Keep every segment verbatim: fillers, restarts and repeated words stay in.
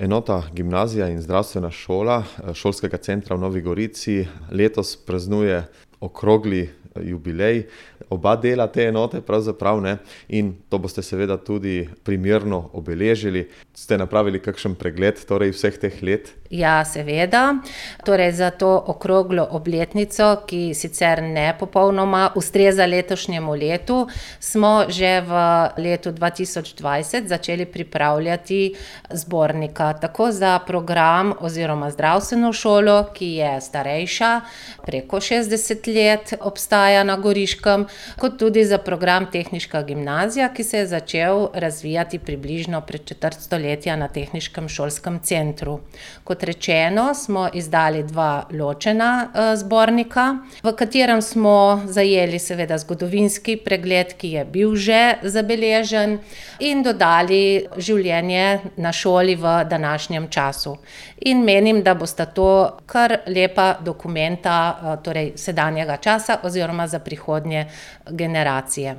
Enota Gimnazija in zdravstvena šola Šolskega centra v Novi Gorici letos praznuje okrogli jubilej. Oba dela te enote pravzaprav, ne, in to boste seveda tudi primerno obeležili. Ste napravili kakšen pregled torej vseh teh let? Ja, seveda. Torej za to okroglo obletnico, ki sicer ne popolnoma ustreza letošnjemu letu, smo že v letu dva tisoč dvajset začeli pripravljati zbornika, tako za program oziroma zdravstveno šolo, ki je starejša, preko šestdeset let obstaja na Goriškem, kot tudi za program Tehniška gimnazija, ki se je začel razvijati približno pred četrt stoletja na Tehniškem šolskem centru. Kot rečeno, smo izdali dva ločena zbornika, v katerem smo zajeli seveda zgodovinski pregled, ki je bil že zabeležen, in dodali življenje na šoli v današnjem času. In menim, da bosta to kar lepa dokumenta, torej sedanjega časa oziroma za prihodnje generacije.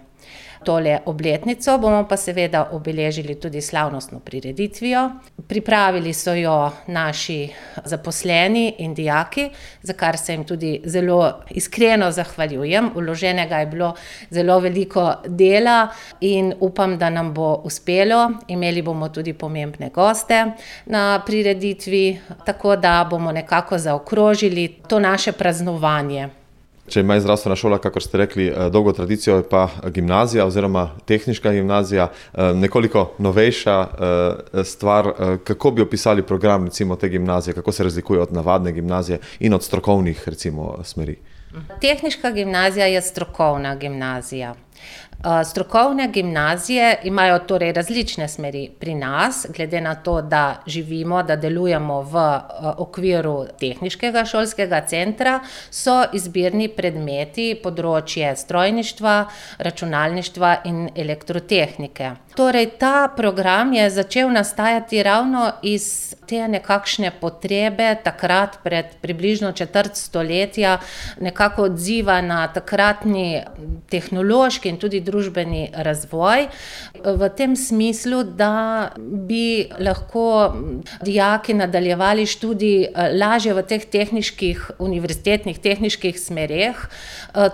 Tole obletnico bomo pa seveda obeležili tudi slavnostno prireditvijo. Pripravili so jo naši zaposleni in dijaki, za kar se jim tudi zelo iskreno zahvaljujem. Vloženega je bilo zelo veliko dela in upam, da nam bo uspelo. Imeli bomo tudi pomembne goste na prireditvi, tako da bomo nekako zaokrožili to naše praznovanje. Če ima zdravstvena šola, kakor ste rekli, dolgo tradicijo, je pa gimnazija oziroma tehniška gimnazija nekoliko novejša stvar. Kako bi opisali program recimo te gimnazije, kako se razlikuje od navadne gimnazije in od strokovnih recimo smeri? Tehniška gimnazija je strokovna gimnazija. Strokovne gimnazije imajo torej različne smeri pri nas, glede na to, da živimo, da delujemo v okviru Tehniškega šolskega centra, so izbirni predmeti področje strojništva, računalništva in elektrotehnike. Torej, ta program je začel nastajati ravno iz te nekakšne potrebe, takrat pred približno četrt stoletja, nekako odziva na takratni tehnološki in tudi družbeni razvoj, v tem smislu, da bi lahko dijaki nadaljevali študij lažje v teh tehniških, univerzitetnih tehniških smereh,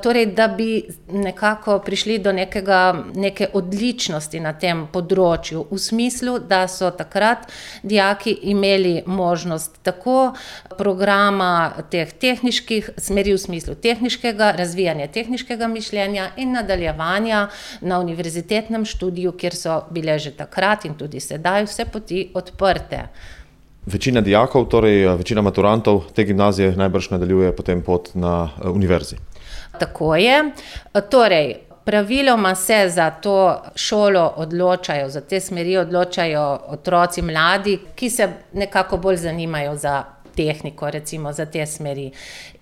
torej da bi nekako prišli do nekega, neke odličnosti na tem področju, v smislu, da so takrat dijaki imeli možnost tako programa teh tehniških smeri v smislu tehniškega, razvijanja tehniškega mišljenja in nadaljevanja na univerzitetnem študiju, kjer so bile že takrat in tudi sedaj vse poti odprte. Večina dijakov, torej večina maturantov te gimnazije najbrž nadaljuje potem pot na univerzi. Tako je. Torej, praviloma se za to šolo odločajo, za te smeri odločajo otroci mladi, ki se nekako bolj zanimajo za tehniko, recimo za te smeri.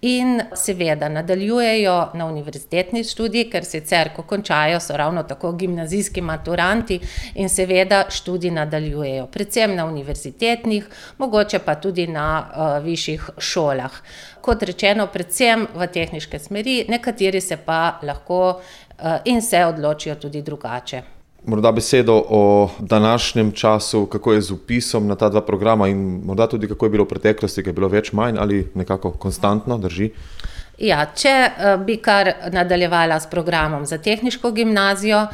In seveda nadaljujejo na univerzitetni študij, ker sicer, ko končajo, so ravno tako gimnazijski maturanti in seveda študij nadaljujejo. Predvsem na univerzitetnih, mogoče pa tudi na uh, višjih šolah. Kot rečeno, predvsem v tehniške smeri, nekateri se pa lahko uh, in se odločijo tudi drugače. Morda besedo o današnjem času, kako je z vpisom na ta dva programa in morda tudi kako je bilo v preteklosti, ki je bilo več manj ali nekako konstantno, drži? Ja, če bi kar nadaljevala s programom za tehniško gimnazijo,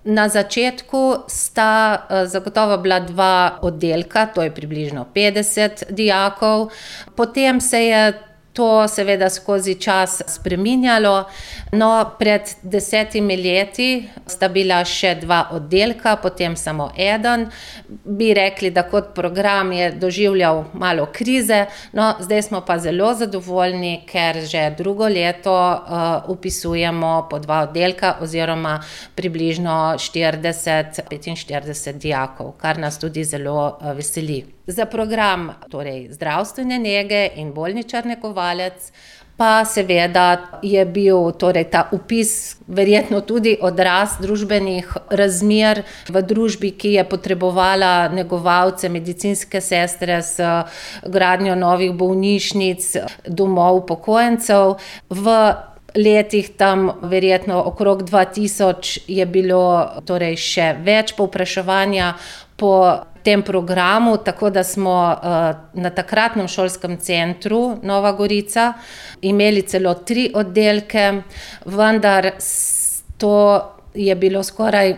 na začetku sta zagotovo bila dva oddelka, to je približno petdeset dijakov, potem se je to seveda skozi čas spreminjalo, no pred desetimi leti sta bila še dva oddelka, potem samo eden. Bi rekli, da kot program je doživljal malo krize, no zdaj smo pa zelo zadovoljni, ker že drugo leto uh, upisujemo po dva oddelka oziroma približno štirideset, petinštirideset dijakov, kar nas tudi zelo uh, veseli. Za program torej zdravstvene nege in bolničar negovalec pa seveda je bil torej ta vpis verjetno tudi odraz družbenih razmer v družbi, ki je potrebovala negovalce, medicinske sestre s gradnjo novih bolnišnic, domov upokojencev. V letih tam verjetno okrog dva tisoč je bilo torej še več povpraševanja po tem programu, tako da smo na takratnem šolskem centru Nova Gorica imeli celo tri oddelke, vendar to je bilo skoraj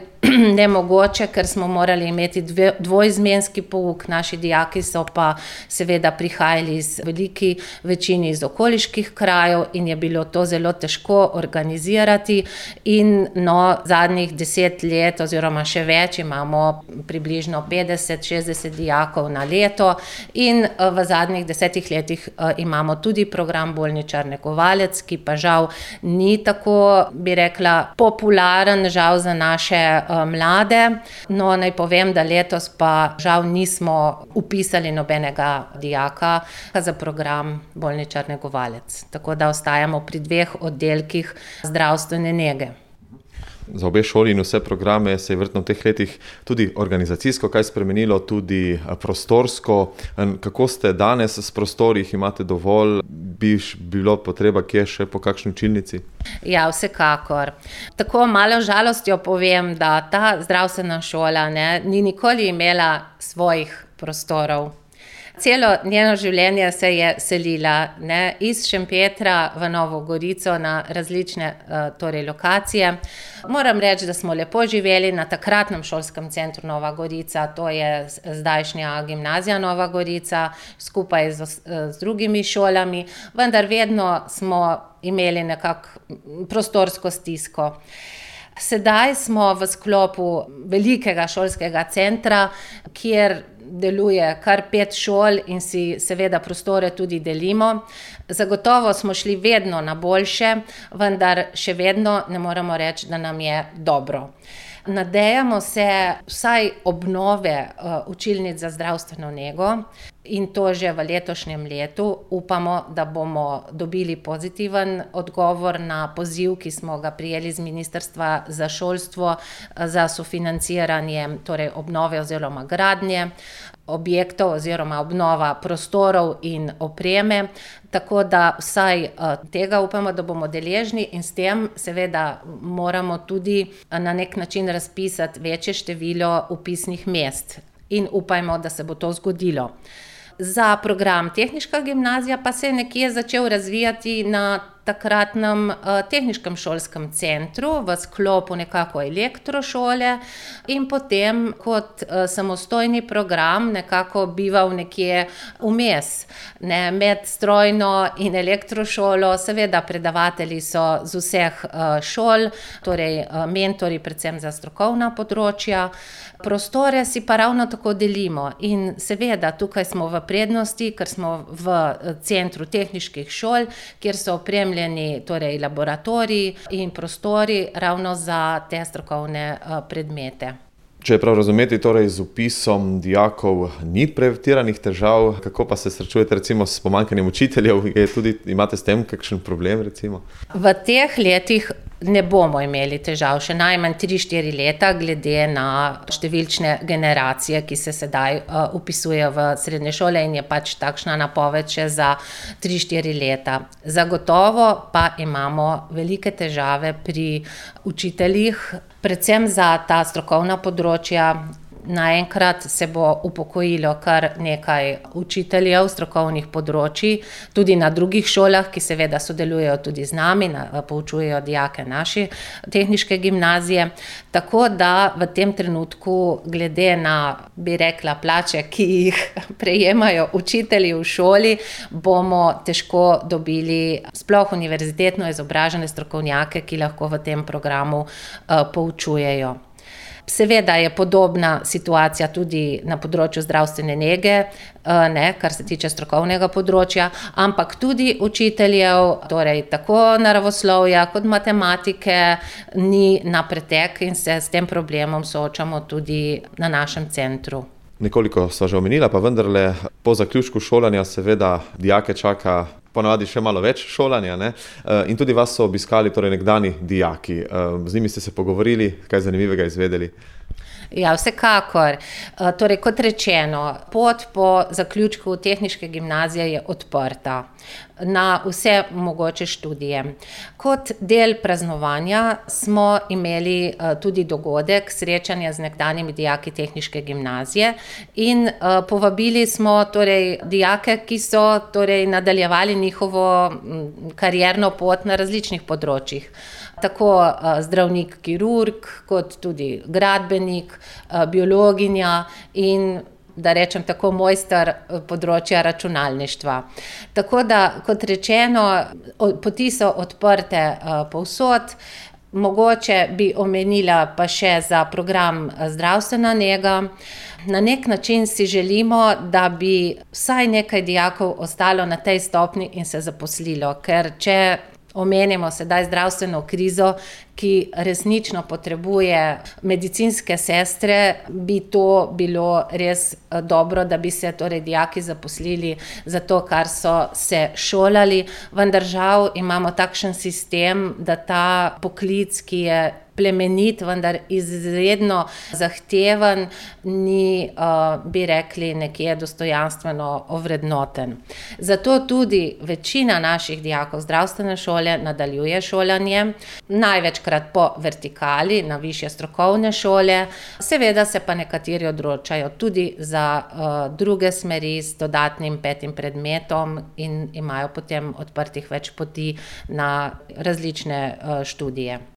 nemogoče, ker smo morali imeti dve, dvoizmenski pouk. Naši dijaki so pa seveda prihajali iz veliki večini iz okoliških krajev in je bilo to zelo težko organizirati. In no, zadnjih deset let oziroma še več imamo približno petdeset šestdeset dijakov na leto in v zadnjih desetih letih imamo tudi program bolničar negovalec, ki pa žal ni tako, bi rekla, popularen, žal za naše mlade. No, naj povem, da letos pa žal nismo vpisali nobenega dijaka za program bolničar negovalec. Tako da ostajamo pri dveh oddelkih zdravstvene nege. Za obe šoli in vse programe se je verjetno v teh letih tudi organizacijsko kaj spremenilo, tudi prostorsko. Kako ste danes s prostori, jih imate dovolj, bi bilo potreba kje še po kakšni učilnici? Ja, vsekakor. Tako malo žalostjo povem, da ta zdravstvena šola ne, ni nikoli imela svojih prostorov. Celo njeno življenje se je selila ne, iz Šempetra v Novo Gorico na različne torej, lokacije. Moram reči, da smo lepo živeli na takratnem šolskem centru Nova Gorica, to je zdajšnja gimnazija Nova Gorica, skupaj z, z drugimi šolami, vendar vedno smo imeli nekako prostorsko stisko. Sedaj smo v sklopu velikega šolskega centra, kjer deluje kar pet šol in si seveda prostore tudi delimo. Zagotovo smo šli vedno na boljše, vendar še vedno ne moremo reči, da nam je dobro. Nadejamo se vsaj obnove učilnic za zdravstveno nego in to že v letošnjem letu. Upamo, da bomo dobili pozitiven odgovor na poziv, ki smo ga prijeli z Ministrstva za šolstvo za sofinanciranje torej obnove oziroma gradnje objektov oziroma obnova prostorov in opreme. Tako da vsaj tega upamo, da bomo deležni in s tem seveda moramo tudi na nek način razpisati večje število vpisnih mest in upajmo, da se bo to zgodilo. Za program tehniška gimnazija pa se je nekje začel razvijati na takratnem tehniškem šolskem centru v sklopu nekako elektrošole in potem kot samostojni program nekako bival nekje vmes, ne, med strojno in elektrošolo. Seveda predavatelji so z vseh šol, torej mentori predvsem za strokovna področja. Prostore si pa ravno tako delimo in seveda tukaj smo v prednosti, ker smo v centru tehniških šol, kjer so opremljeni torej laboratoriji in prostori ravno za te strokovne predmete. Če je prav razumeti, torej z vpisom dijakov ni pretiranih težav, kako pa se srečujete recimo s pomanjkanjem učiteljev? Je tudi, imate s tem kakšen problem recimo? V teh letih ne bomo imeli težav, še najmanj tri štiri leta, glede na številčne generacije, ki se sedaj uh, upisujejo v srednje šole in je pač takšna napoved še za tri štiri leta. Zagotovo pa imamo velike težave pri učiteljih, predvsem za ta strokovna področja. Naenkrat se bo upokojilo kar nekaj učiteljev strokovnih področij, tudi na drugih šolah, ki seveda sodelujejo tudi z nami, poučujejo dijake naše tehniške gimnazije. Tako da v tem trenutku, glede na, bi rekla, plače, ki jih prejemajo učitelji v šoli, bomo težko dobili sploh univerzitetno izobražene strokovnjake, ki lahko v tem programu uh, poučujejo. Seveda je podobna situacija tudi na področju zdravstvene nege, ne, kar se tiče strokovnega področja, ampak tudi učiteljev, torej tako naravoslovja kot matematike, ni na pretek in se s tem problemom soočamo tudi na našem centru. Nekoliko sva že omenila, pa vendarle po zaključku šolanja seveda dijake čaka ponavadi še malo več šolanja, ne? In tudi vas so obiskali torej nekdani dijaki. Z njimi ste se pogovorili, kaj zanimivega izvedeli? Ja, vsekakor. Torej, kot rečeno, pot po zaključku tehniške gimnazije je odprta na vse mogoče študije. Kot del praznovanja smo imeli tudi dogodek srečanja z nekdanjimi dijaki tehniške gimnazije in povabili smo torej dijake, ki so torej nadaljevali njihovo karierno pot na različnih področjih. Tako zdravnik, kirurg, kot tudi gradbenik, biologinja in, da rečem tako, mojster področja računalništva. Tako da, kot rečeno, poti so odprte povsod. Mogoče bi omenila pa še za program zdravstvena nega. Na neki način si želimo, da bi vsaj nekaj dijakov ostalo na tej stopnji in se zaposlilo, ker če omenimo sedaj zdravstveno krizo, ki resnično potrebuje medicinske sestre, bi to bilo res dobro, da bi se torej dijaki zaposlili za to, kar so se šolali, vendar žal imamo takšen sistem, da ta poklic, ki je plemenit, vendar izredno zahteven, ni, bi rekli, nekje dostojanstveno ovrednoten. Zato tudi večina naših dijakov zdravstvene šole nadaljuje šolanje, največkrat po vertikali na višje strokovne šole, seveda se pa nekateri odločajo tudi za druge smeri z dodatnim petim predmetom in imajo potem odprtih več poti na različne študije.